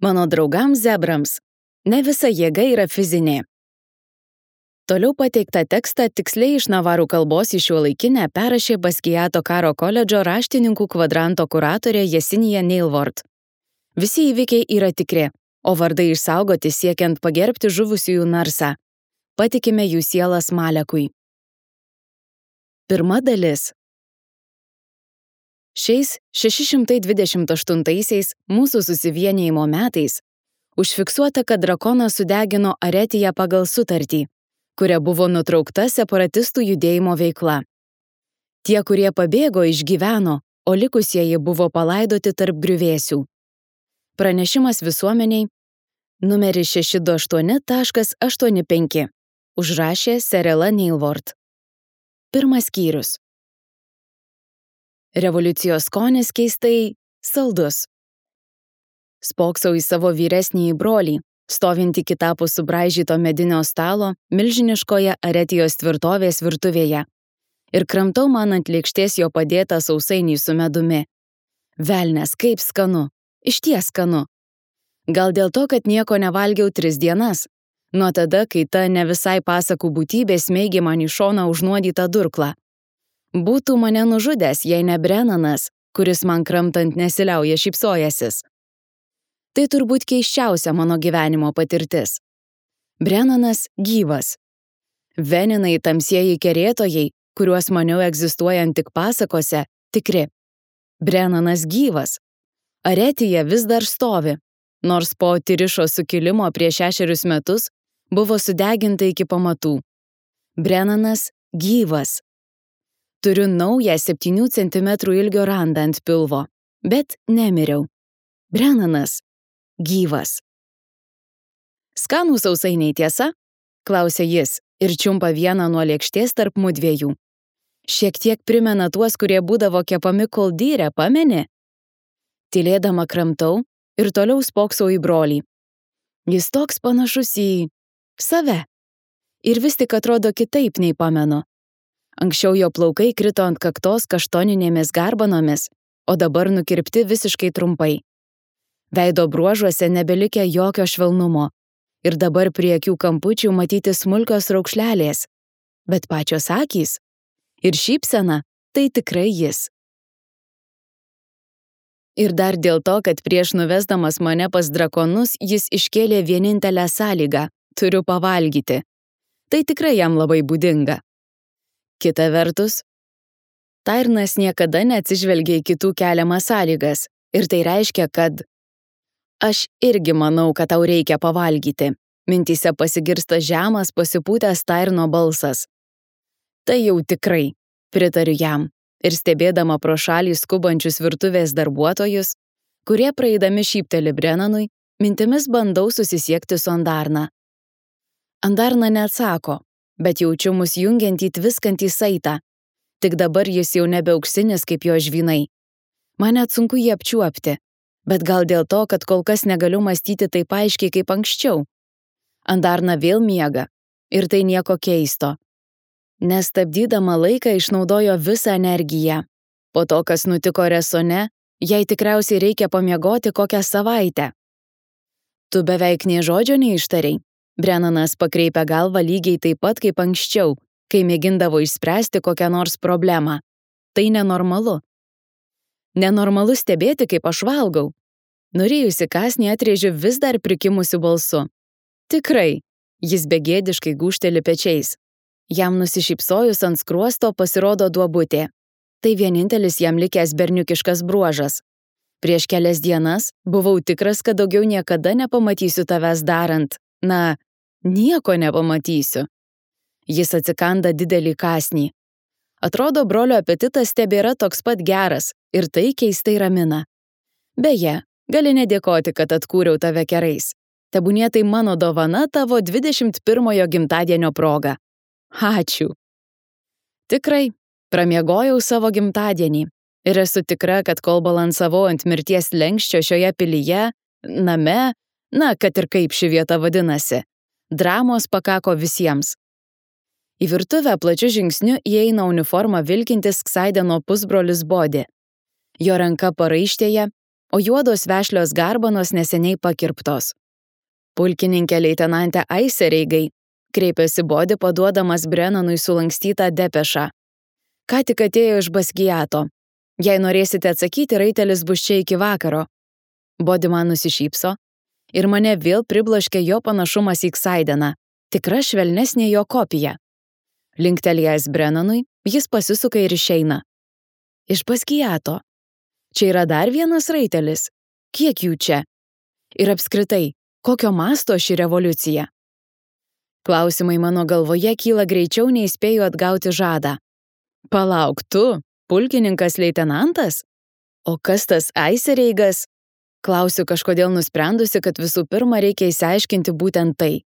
Mano draugams zebrams. Ne visa jėga yra fizinė. Toliau pateiktą tekstą tiksliai iš navarų kalbos į šiuolaikinę perrašė Baskiato karo koledžo raštininkų kvadranto kuratorė Jesinija Neilvort. Visi įvykiai yra tikri, o vardai išsaugoti siekiant pagerbti žuvusiųjų narsą. Patikime jų sielas Malekui. Pirma dalis. Šiais 628 mūsų susivienijimo metais užfiksuota, kad drakonas sudegino Aretiją pagal sutartį, kuria buvo nutraukta separatistų judėjimo veikla. Tie, kurie pabėgo, išgyveno, o likusieji buvo palaidoti tarp griuvėsių. Pranešimas visuomeniai numeris 628.85. Užrašė Serela Neilvort. Pirmas skyrius. Revoliucijos skonis keistai saldus. Spoksau į savo vyresnįjį brolį, stovintį kitapus subraižyto medinio stalo milžiniškoje Aretijos tvirtovės virtuvėje, ir kramtau man ant lėkštės jo padėtą sausainį su medumi. Velnes, kaip skanu, išties skanu. Gal dėl to, kad nieko nevalgiau 3 dienas, nuo tada, kai ta ne visai pasakų būtybė smeigė man į šoną užnuodytą durklą. Būtų mane nužudęs, jei ne Brennanas, kuris man kramtant nesiliauja šypsojasis. Tai turbūt keisčiausia mano gyvenimo patirtis. Brennanas gyvas. Veninai tamsieji kerėtojai, kuriuos maniau egzistuojant tik pasakose, tikri. Brennanas gyvas. Aretija vis dar stovi, nors po Tirišo sukilimo prieš 6 metus buvo sudeginta iki pamatų. Brennanas gyvas. Turiu naują 7 cm ilgio randą ant pilvo, bet nemiriau. Brennanas gyvas. Skanų sausainiai, tiesa? Klausė jis ir čiumpa vieną nuo lėkštės tarp mudviejų. Šiek tiek primena tuos, kurie būdavo kepami koldyre, pameni? Tylėdama kramtau ir toliau spoksau į brolį. Jis toks panašus į save. Ir vis tik atrodo kitaip nei pamenu. Anksčiau jo plaukai krito ant kaktos kaštoninėmis garbanomis, o dabar nukirpti visiškai trumpai. Veido bruožuose nebelikę jokio švelnumo ir dabar prie akių kampučių matyti smulkios raukšlelės. Bet pačios akys ir šypsena tai tikrai jis. Ir dar dėl to, kad prieš nuvesdamas mane pas drakonus jis iškėlė vienintelę sąlygą – turiu pavalgyti. Tai tikrai jam labai būdinga. Kita vertus, Tairnas niekada neatsižvelgia į kitų keliamas sąlygas ir tai reiškia, kad aš irgi manau, kad tau reikia pavalgyti. Mintyse pasigirsta žemas pasipūtęs Tairno balsas. Tai jau tikrai, pritariu jam ir stebėdama pro šalį skubančius virtuvės darbuotojus, kurie praeidami šypteli Brennanui, mintimis bandau susisiekti su Andarna. Andarna neatsako, bet jaučiu mus jungiantį tviskantį saitą. Tik dabar jis jau nebe auksinis kaip jo žvynai. Man net sunku jį apčiuopti, bet gal dėl to, kad kol kas negaliu mąstyti taip aiškiai kaip anksčiau. Andarna vėl miega ir tai nieko keisto. Nestabdydama laiką išnaudojo visą energiją. Po to, kas nutiko Resone, jai tikriausiai reikia pamiegoti kokią savaitę. Tu beveik nė žodžio neištarei. Brennanas pakreipia galvą lygiai taip pat kaip anksčiau, kai mėgindavo išspręsti kokią nors problemą. Tai nenormalu. Nenormalu stebėti, kaip aš valgau. Norėjusi kąsnį atrėžiu vis dar prikimusiu balsu. Tikrai, jis begėdiškai gūžteli pečiais. Jam nusišypsojus ant skruosto pasirodo duobutė. Tai vienintelis jam likęs berniukiškas bruožas. Prieš kelias dienas buvau tikras, kad daugiau niekada nepamatysiu tavęs darant. Nieko nepamatysiu. Jis atsikanda didelį kąsnį. Atrodo, brolio apetitas tebėra toks pat geras ir tai keistai ramina. Beje, gali nedėkoti, kad atkūriau tave kerais. Tebūnie tai mano dovana tavo 21 gimtadienio proga. Ačiū. Tikrai, pramiegojau savo gimtadienį ir esu tikra, kad kol balansavau ant mirties slenksčio šioje pilyje, name, kad ir kaip ši vieta vadinasi, dramos pakako visiems. Į virtuvę plačiu žingsniu įeina uniformą vilkintis Ksaideno pusbrolis Bodi. Jo ranka paraištėje o juodos vešlios garbanos neseniai pakirptos. Pulkininkė leitenantė Aisereigai, kreipėsi Bodi paduodamas Brennanui sulankstytą depešą. Ką tik atėjo iš Baskiato. Jei norėsite atsakyti, raitelis bus čia iki vakaro. Bodi man nusišypso ir mane vėl pribloškė jo panašumas į Ksaideną, tikra švelnesnė jo kopija. Linktelėjęs Brennanui, jis pasisuka ir išeina. Iš Baskiato. Čia yra dar vienas raitelis. Kiek jų čia? Ir apskritai, kokio masto ši revoliucija? Klausimai mano galvoje kyla greičiau, nei spėju atgauti žadą. Palauk, tu, pulkininkas leitenantas? O kas tas Aisereigas? Klausiu kažkodėl nusprendusi, kad visų pirma reikia išsiaiškinti būtent tai.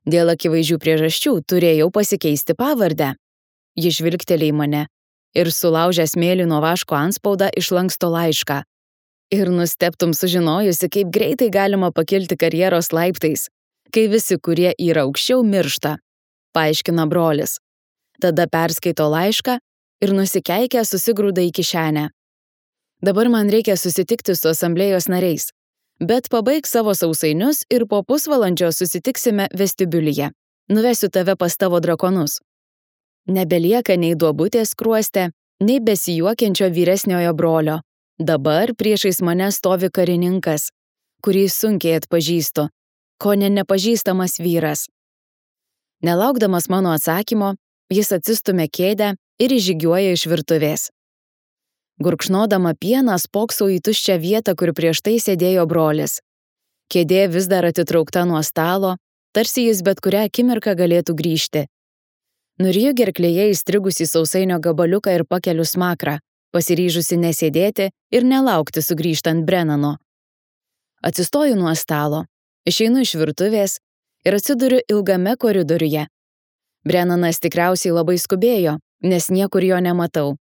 Dėl akivaizdžių priežasčių turėjau pasikeisti pavardę. Ji žvilgtelėjo į mane ir sulaužęs mėlyno vaško antspaudą išlanksto laišką. Ir nustebtum sužinojusi, kaip greitai galima pakilti karjeros laiptais, kai visi, kurie yra aukščiau, miršta, paaiškina brolis. Tada perskaito laišką ir nusikeikę susigrūda į kišenę. Dabar man reikia susitikti su asamblėjos nariais, bet pabaik savo sausainius ir po pusvalandžio susitiksime vestibiulyje. Nuvesiu tave pas tavo drakonus. Nebelieka nei duobutės skruoste, nei besijuokiančio vyresniojo brolio. Dabar priešais mane stovi karininkas, kurį sunkiai atpažįstu, kone nepažįstamas vyras. Nelaukdamas mano atsakymo, jis atsistumia kėdę ir įžygiuoja iš virtuvės. Gurkšnodama pieną spoksau į tuščią vietą, kur prieš tai sėdėjo brolis. Kėdė vis dar atitraukta nuo stalo, tarsi jis bet kurią akimirką galėtų grįžti. Nuriju gerklėje įstrigusį sausainio gabaliuką ir pakeliu smakrą, pasiryžusi nesėdėti ir nelaukti sugrįžtant Brennano. Atsistoju nuo stalo, išeinu iš virtuvės ir atsiduriu ilgame koridoriuje. Brennanas tikriausiai labai skubėjo, nes niekur jo nematau.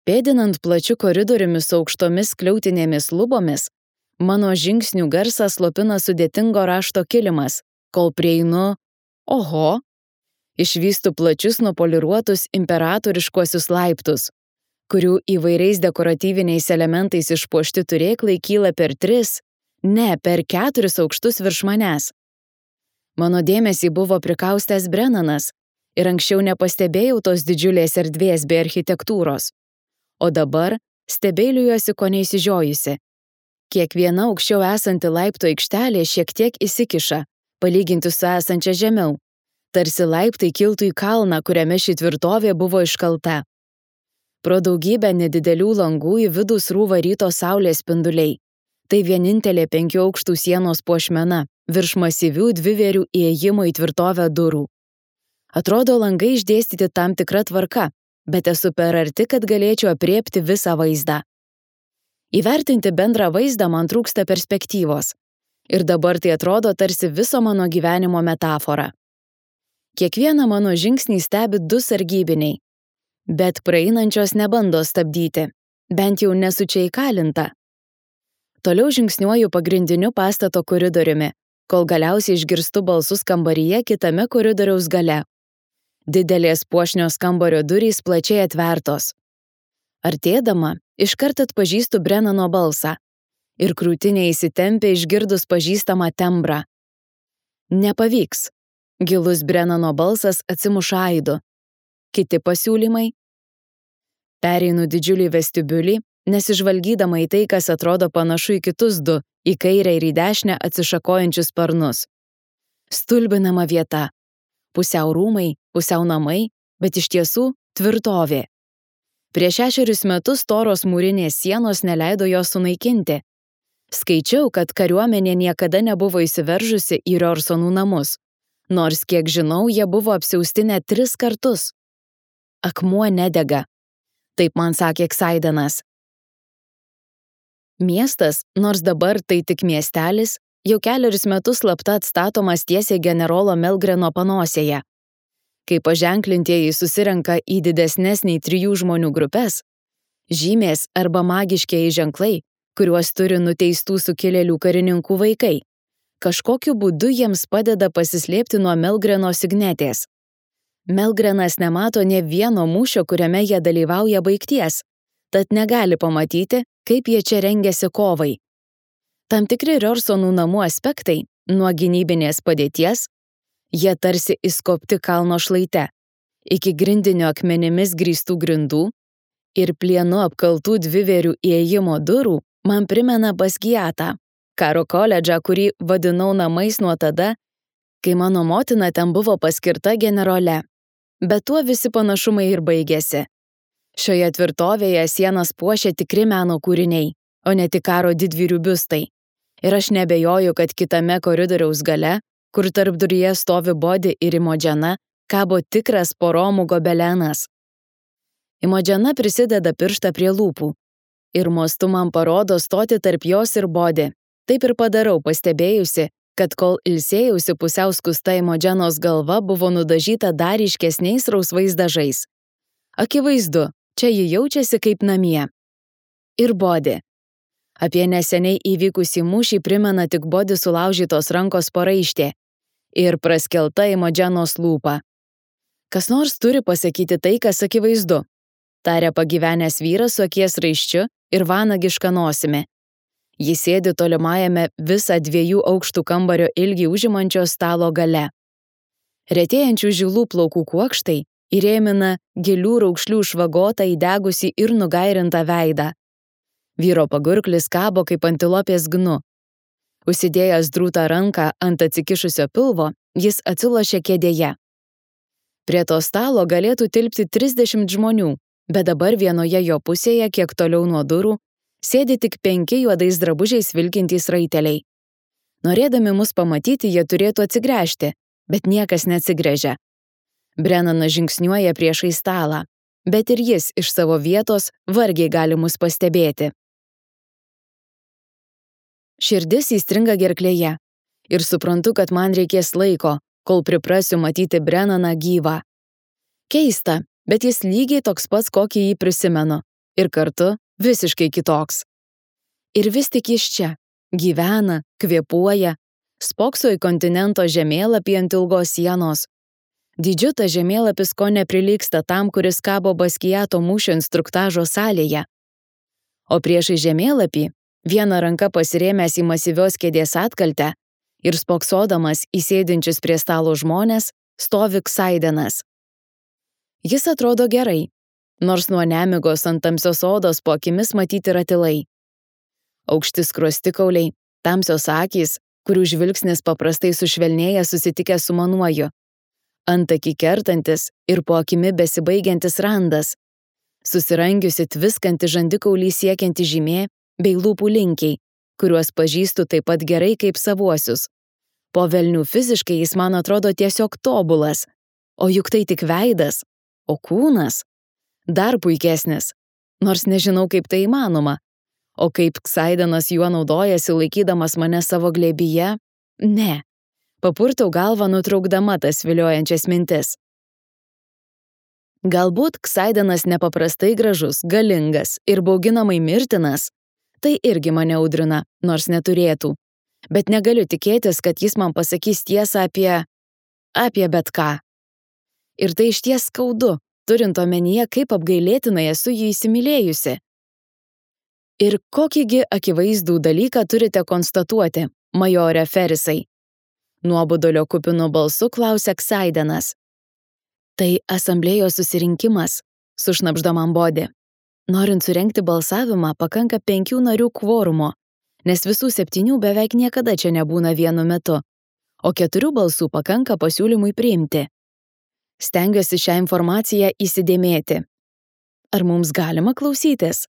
Pėdinant plačiu koridoriumi su aukštomis skliautinėmis lubomis, mano žingsnių garsą slopina sudėtingo rašto kilimas, kol prieinu, oho, išvystu plačius nupoliruotus imperatoriškuosius laiptus, kurių įvairiais dekoratyviniais elementais išpuošti turėklai kyla per 3, per 4 aukštus virš manęs. Mano dėmesį buvo prikaustęs Brennanas ir anksčiau nepastebėjau tos didžiulės erdvės bei architektūros. O dabar stebėliuosi ko neįsižiojusi. Kiekviena aukščiau esanti laiptų aikštelė šiek tiek įsikiša, palyginti su esančia žemiau. Tarsi laiptai kiltų į kalną, kuriame ši tvirtovė buvo iškalta. Pro daugybę nedidelių langų į vidų srūva ryto saulės spinduliai. Tai vienintelė 5 aukštų sienos puošmena, virš masyvių dvivėrių įėjimo į tvirtovę durų. Atrodo, langai išdėstyti tam tikra tvarka, bet esu per arti, kad galėčiau apriepti visą vaizdą. Įvertinti bendrą vaizdą man trūksta perspektyvos. Ir dabar tai atrodo tarsi viso mano gyvenimo metafora. Kiekvieną mano žingsnį stebi 2 sargybiniai, bet praeinančios nebando stabdyti, bent jau nesu čia įkalinta. Toliau žingsniuoju pagrindiniu pastato koridoriumi, kol galiausiai išgirstu balsus kambaryje kitame koridoriaus gale. Didelės puošnios kambario durys plačiai atvertos. Artėdama, iškart atpažįstu Brennano balsą ir krūtinė įsitempia išgirdus pažįstamą tembrą. Nepavyks. Gilus Brennano balsas atsimuša aidu. Kiti pasiūlymai? Pereinu didžiulį vestibiulį, nesižvalgydama į tai, kas atrodo panašu į kitus 2, į kairę ir į dešinę atsišakojančius sparnus. Stulbinama vieta. Pusiau rūmai, pusiau namai, bet iš tiesų tvirtovė. Prieš 6 metus storos mūrinės sienos neleido jos sunaikinti. Skaičiau, kad kariuomenė niekada nebuvo įsiveržusi į Riorsonų namus, nors, kiek žinau, jie buvo apsiausti net 3 kartus. Akmuo nedega. Taip man sakė Ksaidenas. Miestas, nors dabar tai tik miestelis, jau 4 metus slapta atstatomas tiesiai generolo Melgreno panosėje. Kai paženklintieji susirenka į didesnes nei 3 žmonių grupes, žymės arba magiškieji ženklai, kuriuos turi nuteistų sukilėlių karininkų vaikai, kažkokiu būdu jiems padeda pasislėpti nuo Melgreno signetės. Melgrenas nemato nė vieno mūšio, kuriame jie dalyvauja baigties, tad negali pamatyti, kaip jie čia rengiasi kovai. Tam tikri Riorsonų namų aspektai, nuo gynybinės padėties, jie tarsi įskopti kalno šlaite, iki grindinio akmenimis grįstų grindų ir plienu apkaltų dvivėrių įėjimo durų man primena Basgiatą, karo koledžą, kurį vadinau namais nuo tada, kai mano motina ten buvo paskirta generole. Bet tuo visi panašumai ir baigėsi. Šioje tvirtovėje sienas puošia tikri meno kūriniai, o ne tik karo didvyrių biustai. Ir aš nebejoju, kad kitame koridoriaus gale, kur tarpduryje stovi Bodi ir Imodžena, kabo tikras poromų gobelenas. Imodžena prisideda pirštą prie lūpų ir mostu man parodo stoti tarp jos ir Bodi. Taip ir padarau, pastebėjusi, kad kol ilsėjausi pusiau skusta Imodženos galva buvo nudažyta dar ryškesniais rausvais dažais. Akivaizdu, čia ji jaučiasi kaip namie. Ir Bodi. Apie neseniai įvykusį mūšį primena tik Bodi sulaužytos rankos paraištė ir praskelta Imodženos lūpa. Kas nors turi pasakyti tai, kas akivaizdu, tarė pagyvenęs vyras su akies raiščiu ir vanagiška nosimi. Jis sėdi tolimajame visą 2 aukštų kambario ilgį užimančio stalo gale. Retėjančių žilų plaukų kuokštai įrėmina gilių raukšlių švagotą įdegusį ir nugairintą veidą. Vyro pagurklis kabo kaip antilopės gnu. Užsidėjęs drūtą ranką ant atsikišusio pilvo, jis atsilošė kėdėje. Prie to stalo galėtų tilpti 30 žmonių, bet dabar vienoje jo pusėje, kiek toliau nuo durų, sėdi tik 5 juodais drabužiais vilkintys raiteliai. Norėdami mus pamatyti, jie turėtų atsigręžti, bet niekas neatsigręžia. Brennanas žingsniuoja priešai stalą, bet ir jis iš savo vietos vargiai gali mus pastebėti. Širdis įstringa gerklėje ir suprantu, kad man reikės laiko, kol priprasiu matyti Brennaną gyvą. Keista, bet jis lygiai toks pats, kokį jį prisimenu, ir kartu visiškai kitoks. Ir vis tik jis čia, gyvena, kvėpuoja, spokso į kontinento žemėlapį ant ilgos sienos. Dydžiu tas žemėlapis ko neprilygsta tam, kuris kabo Basgiato mūšio instruktažo salėje. O priešai žemėlapį, viena ranka pasirėmęs į masyvios kėdės atkaltę ir spoksodamas į sėdinčius prie stalo žmonės, stovi Ksaidenas. Jis atrodo gerai, nors nuo nemigos ant tamsios odos po akimis matyti ratilai. Aukšti skruostikauliai, tamsios akys, kurių žvilgsnis paprastai sušvelnėja susitikę su manuoju. Antakį kertantis ir po akimi besibaigiantis randas. Susirangiusi tviskanti žandikaulį siekianti žymė bei lūpų linkiai, kuriuos pažįstu taip pat gerai kaip savuosius. Po velnių fiziškai jis man atrodo tiesiog tobulas, o juk tai tik veidas, o kūnas dar puikesnis, nors nežinau, kaip tai įmanoma. O kaip Ksaidenas juo naudojasi laikydamas mane savo glėbyje? Ne. Papurtau galvą nutraukdama tas viliojančias mintis. Galbūt Ksaidenas nepaprastai gražus, galingas ir bauginamai mirtinas. Tai irgi mane audrina, nors neturėtų. Bet negaliu tikėtis, kad jis man pasakys tiesą apie bet ką. Ir tai išties skaudu, turint omenyje, kaip apgailėtinai esu jį įsimylėjusi. Ir kokįgi akivaizdų dalyką turite konstatuoti, majore Ferisai? Nuobodulio kupinu balsu klausia Ksaidenas. Tai asamblėjos susirinkimas, sušnabžda man Bodi. Norint surengti balsavimą, pakanka 5 narių kvorumo, nes visų 7 beveik niekada čia nebūna vienu metu, o 4 balsų pakanka pasiūlymui priimti. Stengiuosi šią informaciją įsidėmėti. Ar mums galima klausytis?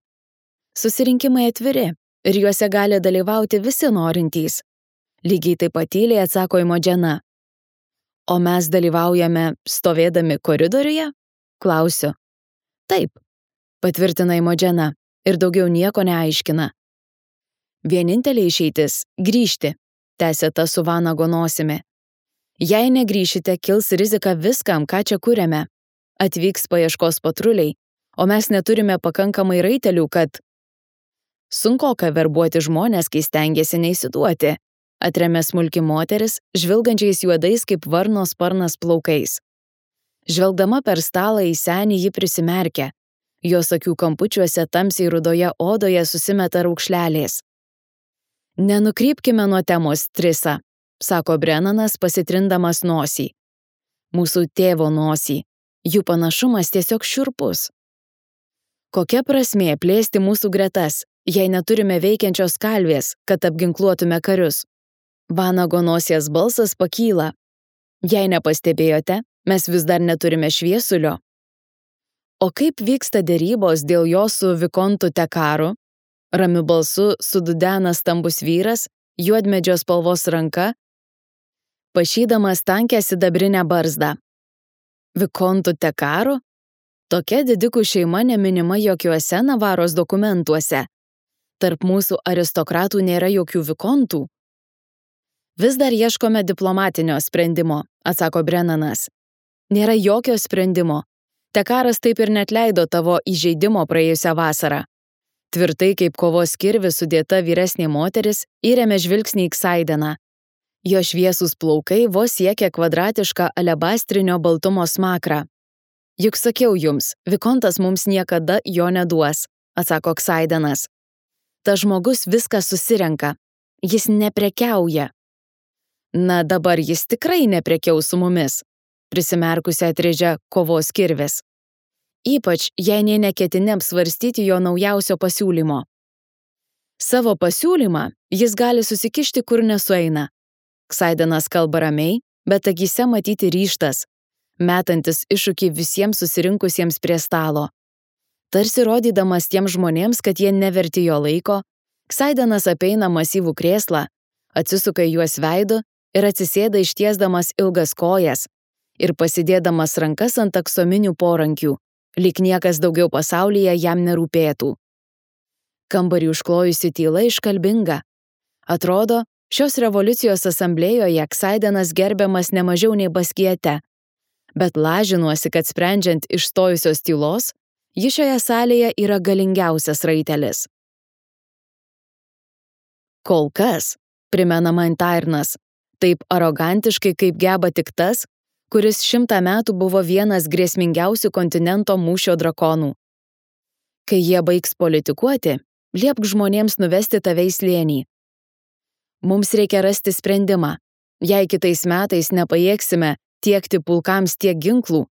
Susirinkimai atviri ir juose gali dalyvauti visi norintys. Lygiai taip pat tyliai atsako Imodžena. O mes dalyvaujame stovėdami koridoriuje? Klausiu. Taip, patvirtina Imodžena ir daugiau nieko neaiškina. Vienintelė išeitis – grįžti, tęsė ta su vanago nosimi. Jei negrįšite, kils rizika viskam, ką čia kuriame. Atvyks paieškos patruliai, o mes neturime pakankamai raitelių, kad... Sunkoka verbuoti žmonės, kai stengiasi neįsiduoti, atremė smulki moteris, žvilgančiais juodais kaip varno sparnas plaukais. Žvelgdama per stalą į senį ji prisimerkė. Jos akių kampučiuose tamsiai rudoje odoje susimeta raukšlelės. Nenukrypkime nuo temos, Trisa, sako Brennanas pasitrindamas nosį. Mūsų tėvo nosį. Jų panašumas tiesiog šiurpus. Kokia prasmė plėsti mūsų gretas, jei neturime veikiančios kalvės, kad apginkluotume karius? Vanago nosies balsas pakyla. Jei nepastebėjote, mes vis dar neturime šviesulio. O kaip vyksta derybos dėl jo su Vikontu Tekaru? Ramiu balsu sududena stambus vyras, juodmedžio spalvos ranka, pašydamas tankę sidabrinę barzdą. Vikontu Tekaru? Tokia didikų šeima neminima jokiuose Navaros dokumentuose. Tarp mūsų aristokratų nėra jokių vikontų. Vis dar ieškome diplomatinio sprendimo, atsako Brennanas. Nėra jokio sprendimo. Tekaras taip ir neatleido tavo įžeidimo praėjusią vasarą. Tvirtai kaip kovos kirvis sudėta vyresnė moteris įrėmė žvilgsnį į Ksaideną. Jo šviesūs plaukai vos siekia kvadratišką alebastrinio baltumo smakrą. Juk sakiau jums, Vikontas mums niekada jo neduos, atsako Ksaidenas. Ta žmogus viską susirenka. Jis neprekiauja. Na dabar jis tikrai neprekiaus su mumis, prisimerkusi atrėžia kovos kirvis. Ypač, jei nė neketini apsvarstyti jo naujausio pasiūlymo. Savo pasiūlymą jis gali susikišti, kur nesueina. Ksaidenas kalba ramiai, bet akyse matyti ryžtas, metantis iššūkį visiems susirinkusiems prie stalo. Tarsi rodydamas tiems žmonėms, kad jie neverti jo laiko, Ksaidenas apeina masyvų krėslą, atsisuka į juos veidu ir atsisėda ištiesdamas ilgas kojas ir pasidėdamas rankas ant aksominių porankių, lyg niekas daugiau pasaulyje jam nerūpėtų. Kambarį užklojusi tyla iškalbinga. Atrodo, šios revoliucijos asamblėjoje Ksaidenas gerbiamas ne mažiau nei Baskiete, bet lažinuosi, kad sprendžiant iš stojusios tylos, ji šioje salėje yra galingiausias raitelis. Kol kas, primena man Tairnas, taip arogantiškai kaip geba tik tas, kuris 100 metų buvo vienas grėsmingiausių kontinento mūšio drakonų. Kai jie baigs politikuoti, liepk žmonėms nuvesti tave į slėnį. Mums reikia rasti sprendimą. Jei kitais metais nepajėgsime tiekti pulkams tiek ginklų,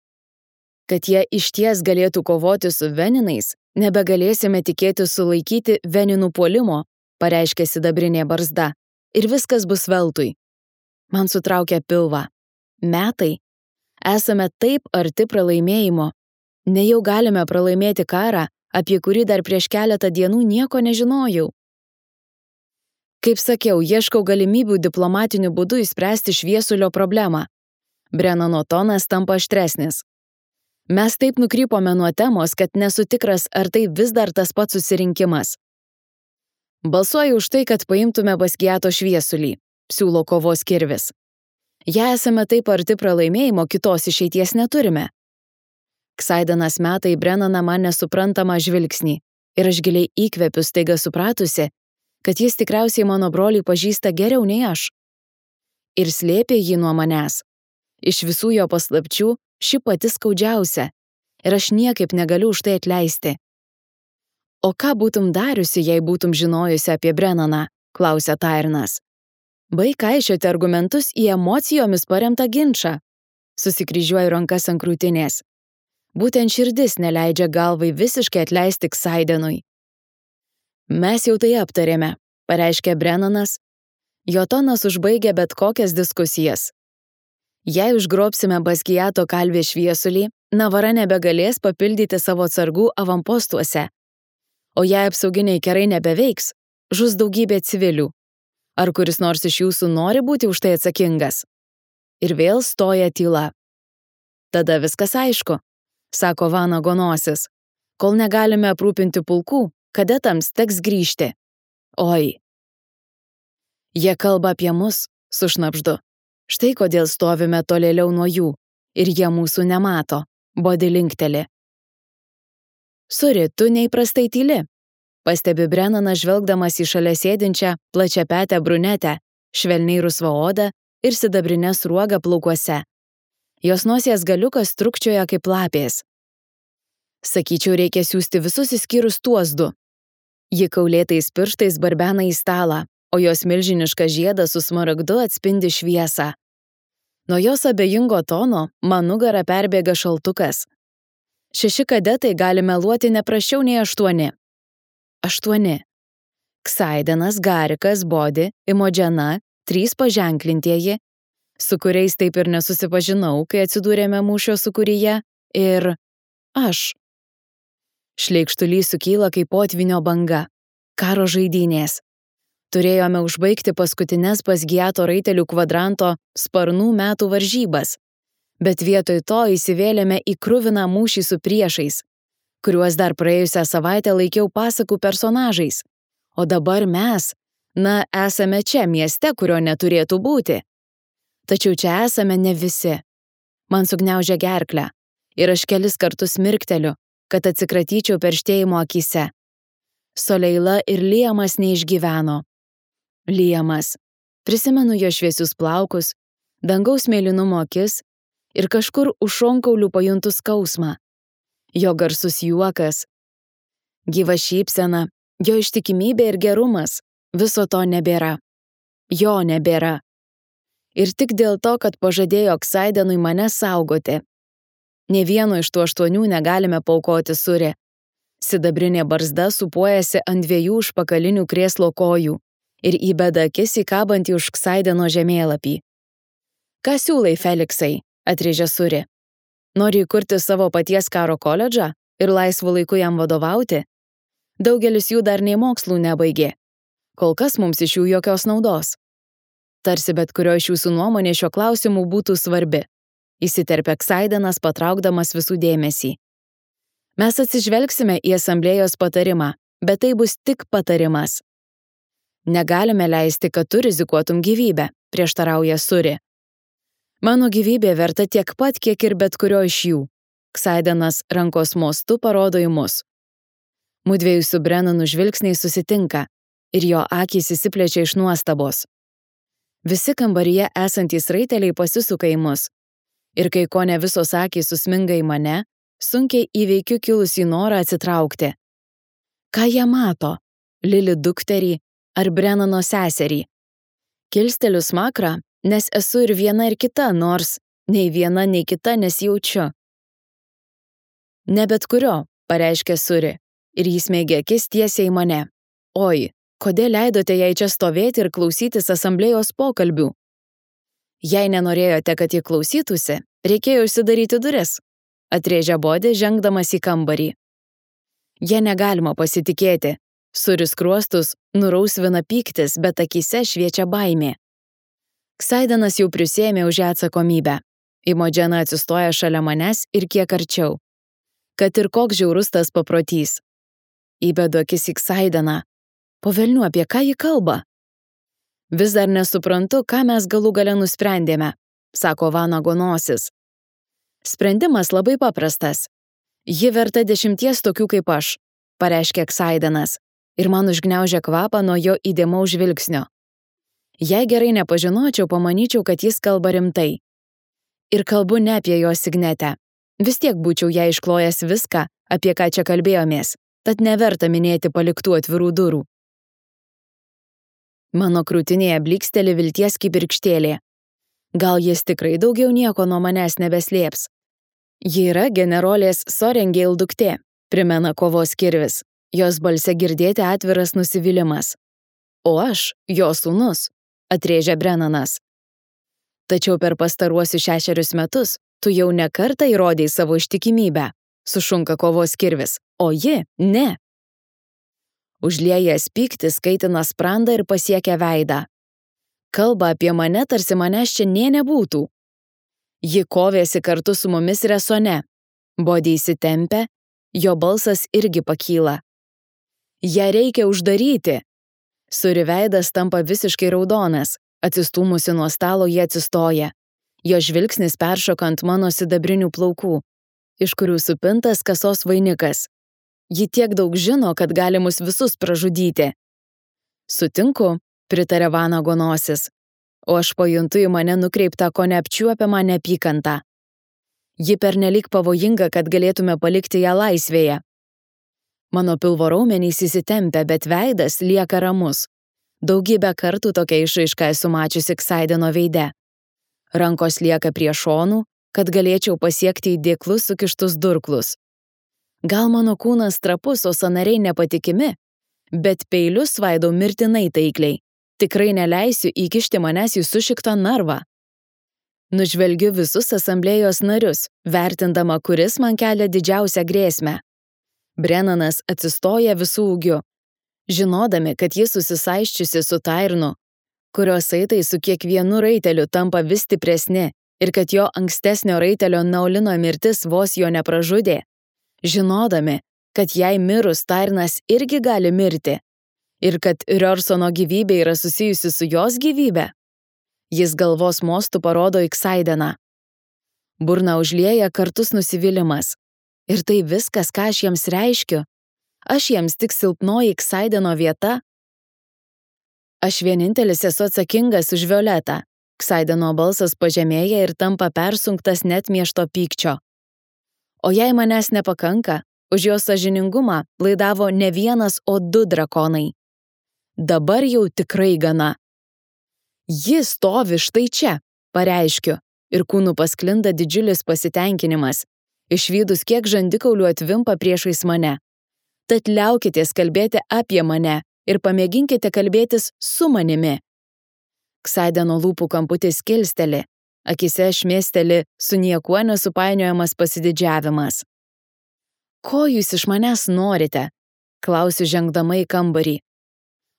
kad jie išties galėtų kovoti su veninais, nebegalėsime tikėti sulaikyti veninų puolimo, pareiškė sidabrinė barzda, ir viskas bus veltui. Man sutraukė pilvą. Metai. Esame taip arti pralaimėjimo. Nejau galime pralaimėti karą, apie kurį dar prieš keletą dienų nieko nežinojau. Kaip sakiau, ieškau galimybių diplomatiniu būdu išspręsti šviesulio problemą. Brennano tonas tampa aštresnis. Mes taip nukrypome nuo temos, kad nesu tikras, ar tai vis dar tas pats susirinkimas. Balsuoju už tai, kad paimtume Baskiato šviesulį, siūlo kovos kirvis. Jei esame taip arti pralaimėjimo, kitos išeities neturime. Ksaidenas meta į Brennaną man nesuprantamą žvilgsnį ir aš giliai įkvepiu staiga supratusi, kad jis tikriausiai mano brolį pažįsta geriau nei aš. Ir slėpė jį nuo manęs. Iš visų jo paslapčių ši pati skaudžiausia ir aš niekaip negaliu už tai atleisti. O ką būtum dariusi, jei būtum žinojusi apie Brennaną, klausia Tairnas. Baik kaišioti argumentus į emocijomis paremtą ginčą. Susikryžiuoju rankas ant krūtinės. Būtent širdis neleidžia galvai visiškai atleisti Ksaidenui. Mes jau tai aptarėme, pareiškė Brennanas. Jo tonas užbaigia bet kokias diskusijas. Jei užgrobsime Baskiato kalvės šviesulį, Navara nebegalės papildyti savo atsargų avampostuose. O jei apsauginiai kerai nebeveiks, žus daugybė civilių. Ar kuris nors iš jūsų nori būti už tai atsakingas? Ir vėl stoja tyla. Tada viskas aišku, sako Vanago nosis. Kol negalime aprūpinti pulkų, kadetams teks grįžti. Oi. Jie kalba apie mus, sušnabždu. Štai kodėl stovime tolėliau nuo jų, ir jie mūsų nemato, Bodi linkteli. Suri, tu neįprastai tyli, pastebi Brennanas žvelgdamas į šalia sėdinčią plačiapetę brunetę, švelniai rusvą odą ir sidabrinę sruogą plaukuose. Jos nosies galiukas trukčioja kaip lapės. Sakyčiau, reikia siųsti visus išskyrus tuos 2. Ji kaulėtais pirštais barbena į stalą, o jos milžiniška žieda su smaragdu atspindi šviesą. Nuo jos abejingo tono man nugarą perbėga šaltukas. 6 kadetai gali meluoti ne prašiau nei 8. 8. Ksaidenas, Garikas, Bodi, Imodžena, 3 paženklintieji, su kuriais taip ir nesusipažinau, kai atsidūrėme mūšio sūkuryje, ir aš. Šleikštulys sukyla kaip potvinio banga. Karo žaidynės. Turėjome užbaigti paskutines Basgiato raitelių kvadranto sparnų metų varžybas, bet vietoj to įsivėlėme į kruviną mūšį su priešais, kuriuos dar praėjusią savaitę laikiau pasakų personažais. O dabar mes, esame čia mieste, kurio neturėtų būti. Tačiau čia esame ne visi. Man sugniaužia gerklę ir aš kelis kartus mirkteliu, kad atsikratyčiau perštėjimo akyse. Soleila ir Liamas neišgyveno. Liamas. Prisimenu jo šviesius plaukus, dangaus mėlynumo akis ir kažkur už šonkaulių pajuntu skausmą. Jo garsus juokas, gyva šypsena, jo ištikimybė ir gerumas, viso to nebėra. Jo nebėra. Ir tik dėl to, kad pažadėjo Ksaidenui mane saugoti. Nė vieno iš tų 8 negalime paaukoti Suri. Sidabrinė barzda supuojasi ant 2 užpakalinių krėslo kojų ir įbeda akis į kabantį už Ksaideno žemėlapį. Ką siūlai, Feliksai? Atrėžė Suri. Nori įkurti savo paties karo koledžą ir laisvu laiku jam vadovauti? Daugelis jų dar nei mokslų nebaigė. Kol kas mums iš jų jokios naudos. Tarsi bet kurio iš jūsų nuomonė šiuo klausimu būtų svarbi. Įsiterpė Ksaidenas, patraukdamas visų dėmesį. Mes atsižvelgsime į asamblėjos patarimą, bet tai bus tik patarimas. Negalime leisti, kad tu rizikuotum gyvybę, prieštarauja Suri. Mano gyvybė verta tiek pat, kiek ir bet kurio iš jų. Ksaidenas rankos mostu parodo į mus. Mudviejų su Brennanu žvilgsniai susitinka ir jo akys įsiplečia iš nuostabos. Visi kambaryje esantys raiteliai pasisuka į mus. Ir kai kone visos akys susminga į mane, sunkiai įveikiu kilusį norą atsitraukti. Ką jie mato? Lili dukterį ar Brennano seserį? Kilsteliu smakrą, nes esu ir viena ir kita, nors nei viena, nei kita nesijaučiu. Ne bet kurio, pareiškė Suri, ir jis mėgė akis tiesiai į mane. Oi, kodėl leidote jai čia stovėti ir klausytis asamblėjos pokalbių? Jei nenorėjote, kad jį klausytųsi, reikėjo užsidaryti duris, atrėžė Bodi, žengdamas į kambarį. Jie negalima pasitikėti. Suri skruostus nurausvina pyktis, bet akyse šviečia baimė. Ksaidenas jau prisiėmė už ją atsakomybę. Imodžena atsistoja šalia manęs ir kiek arčiau. Kad ir koks žiaurus tas paprotys. Įbedu akis į Ksaideną. Po velnių, apie ką ji kalba? Vis dar nesuprantu, ką mes galų gale nusprendėme, sako Vanago nosis. Sprendimas labai paprastas. Ji verta 10 tokių kaip aš, pareiškė Ksaidenas, ir man užgniaužė kvapą nuo jo įdėmaus žvilgsnio. Jei gerai nepažinočiau, pamanyčiau, kad jis kalba rimtai. Ir kalbu ne apie jo signetę. Vis tiek būčiau ją išklojęs viską, apie ką čia kalbėjomės, tad neverta minėti paliktų atvirų durų. Mano krūtinėje bliksteli vilties kibirkštėlė. Gal jis tikrai daugiau nieko nuo manęs nebeslėps. Ji yra generolės Sorengėl duktė, primena kovos kirvis. Jos balse girdėti atviras nusivylimas. O aš, jo sūnus, atrėžė Brennanas. Tačiau per pastaruosius 6 metus tu jau ne kartą įrodei savo ištikimybę, sušunka kovos kirvis, o ji ne. Užliejęs pyktis kaitina sprandą ir pasiekia veidą. Kalba apie mane, tarsi manęs čia nė nebūtų. Ji kovėsi kartu su mumis resone. Bodi įsitempia, jo balsas irgi pakyla. Ją reikia uždaryti. Suri veidas tampa visiškai raudonas. Atsistūmusi nuo stalo, jie atsistoja. Jo žvilgsnis peršoka ant mano sidabrinių plaukų, iš kurių supintas kasos vainikas. Ji tiek daug žino, kad gali mus visus pražudyti. Sutinku, pritarė Vanago nosis, o aš pajuntu į mane nukreiptą ko neapčiuopiamą neapykantą. Ji pernelyg pavojinga, kad galėtume palikti ją laisvėje. Mano pilvo raumenys įsitempia, bet veidas lieka ramus. Daugybę kartų tokia išraiška esu mačiusi Ksaideno veide. Rankos lieka prie šonų, kad galėčiau pasiekti į dėklus sukištus durklus. Gal mano kūnas trapus, o sąnariai nepatikimi, bet peilius svaidau mirtinai taikliai. Tikrai neleisiu įkišti manęs į sušiktą narvą. Nužvelgiu visus asamblėjos narius, vertindama, kuris man kelia didžiausią grėsmę. Brennanas atsistoja visų ūgiu, žinodami, kad jis susisaiščiusi su Tairnu, kurios saitai su kiekvienu raiteliu tampa vis stipresni ir kad jo ankstesnio raitelio Naulino mirtis vos jo nepražudė, žinodami, kad jei mirus Tairnas irgi gali mirti ir kad Rjorsono gyvybė yra susijusi su jos gyvybe, jis galvos mostu parodo į Ksaideną. Burna užlieja kartus nusivylimas. Ir tai viskas, ką aš jiems reiškiu. Aš jiems tik silpnoji Ksaideno vieta. Aš vienintelis esu atsakingas už Violetą. Ksaideno balsas pažemėja ir tampa persunktas net miešto pykčio. O jei manęs nepakanka, už jos sąžiningumą laidavo ne vienas, o 2 drakonai. Dabar jau tikrai gana. Ji stovi štai čia, pareiškiu, ir kūnu pasklinda didžiulis pasitenkinimas, išvydus kiek žandikaulių atvimpa priešais mane. Tad liaukitės kalbėti apie mane ir pamėginkite kalbėtis su manimi. Ksaideno lūpų kamputis kilsteli, akise šmėsteli su niekuo nesupainiojamas pasididžiavimas. Ko jūs iš manęs norite? Klausiu žengdama į kambarį.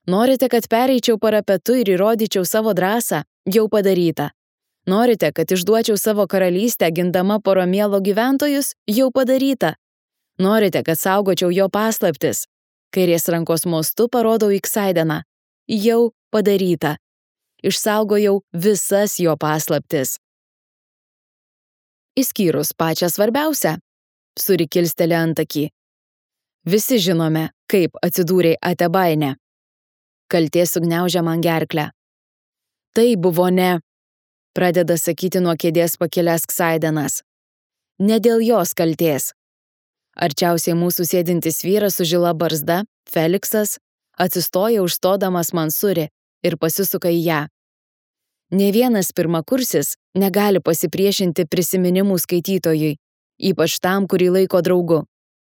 Norite, kad pereičiau parapetu ir įrodyčiau savo drąsą? Jau padaryta. Norite, kad išduočiau savo karalystę gindama Poromielo gyventojus? Jau padaryta. Norite, kad saugočiau jo paslaptis? Kairės rankos mostu parodau į Ksaideną. Jau padaryta. Išsaugojau visas jo paslaptis. Išskyrus pačią svarbiausią. Suri kilsteli antakį. Visi žinome, kaip atsidūrei Atebaine. Kaltė sugniaužia man gerklę. Tai buvo ne, pradeda sakyti nuo kėdės pakilęs Ksaidenas. Ne dėl jos kaltės. Arčiausiai mūsų sėdintis vyras su žila barzda, Feliksas, atsistoja užstodamas man Suri ir pasisuka į ją. Nė vienas pirmakursis negali pasipriešinti prisiminimų skaitytojui, ypač tam, kurį laiko draugu.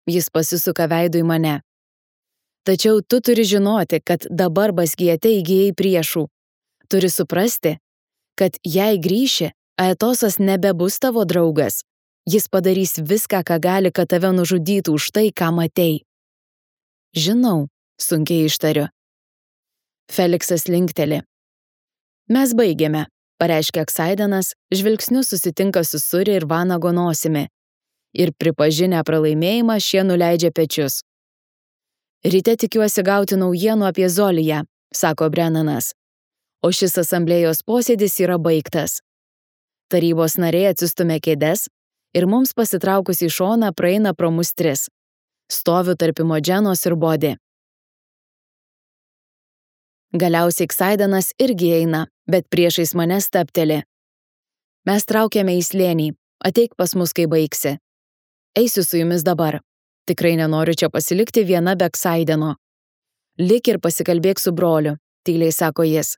Jis pasisuka veidu į mane. Tačiau tu turi žinoti, kad dabar Basgiete įgijai priešų. Turi suprasti, kad jei grįši, Aetosas nebebus tavo draugas. Jis padarys viską, ką gali, kad tave nužudytų už tai, ką matei. Žinau, sunkiai ištariu. Feliksas linkteli. Mes baigėme, pareiškia Ksaidenas, žvilgsniu susitinka su Suri ir Vanago nosimi. Ir pripažinę pralaimėjimą šie nuleidžia pečius. Ryte tikiuosi gauti naujienų apie Zoliją, sako Brennanas. O šis asamblėjos posėdis yra baigtas. Tarybos nariai atsistumia kėdes ir mums pasitraukus į šoną praeina pro mus 3. Stoviu tarp Imodženos ir Bodi. Galiausiai Ksaidenas irgi eina, bet priešais mane stabteli. Mes traukiame į slėnį, ateik pas mus, kai baigsi. Eisiu su jumis dabar. Tikrai nenoriu čia pasilikti viena be Ksaideno. Lik ir pasikalbėk su broliu, tyliai sako jis.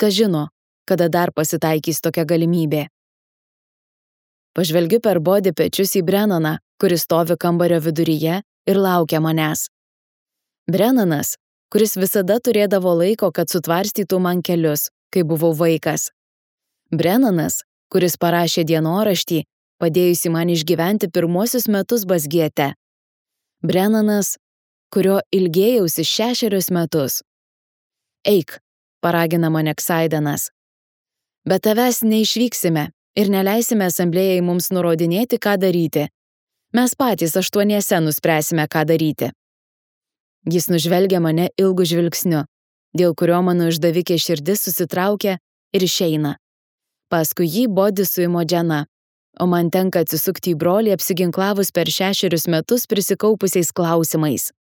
Kas žino, kada dar pasitaikys tokia galimybė. Pažvelgiu per Bodi pečius į Brennaną, kuris stovi kambario viduryje ir laukia manęs. Brennanas, kuris visada turėdavo laiko, kad sutvarstytų man kelius, kai buvau vaikas. Brennanas, kuris parašė dienoraštį, padėjusi man išgyventi pirmuosius metus Basgiete. Brennanas, kurio ilgėjausi 6 metus. Eik, paragina mane Ksaidenas. Bet tavęs neišvyksime ir neleisime asamblėjai mums nurodinėti, ką daryti. Mes patys 8 nuspręsime, ką daryti. Jis nužvelgia mane ilgu žvilgsniu, dėl kurio mano išdavikė širdis susitraukia ir išeina. Paskui jį Bodi su Imodžena, o man tenka atsisukti į brolį apsiginklavus per 6 metus prisikaupusiais klausimais.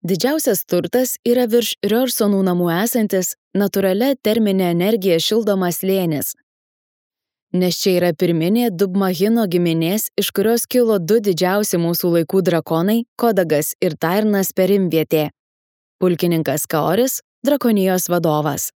Didžiausias turtas yra virš Rjorsonų namų esantis natūralia terminė energija šildomas slėnis. nes čia yra pirminė Dubmahino giminės, iš kurios kilo 2 didžiausi mūsų laikų drakonai – Kodagas ir Tairnas perimvietė. Pulkininkas Kaoris – drakonijos vadovas.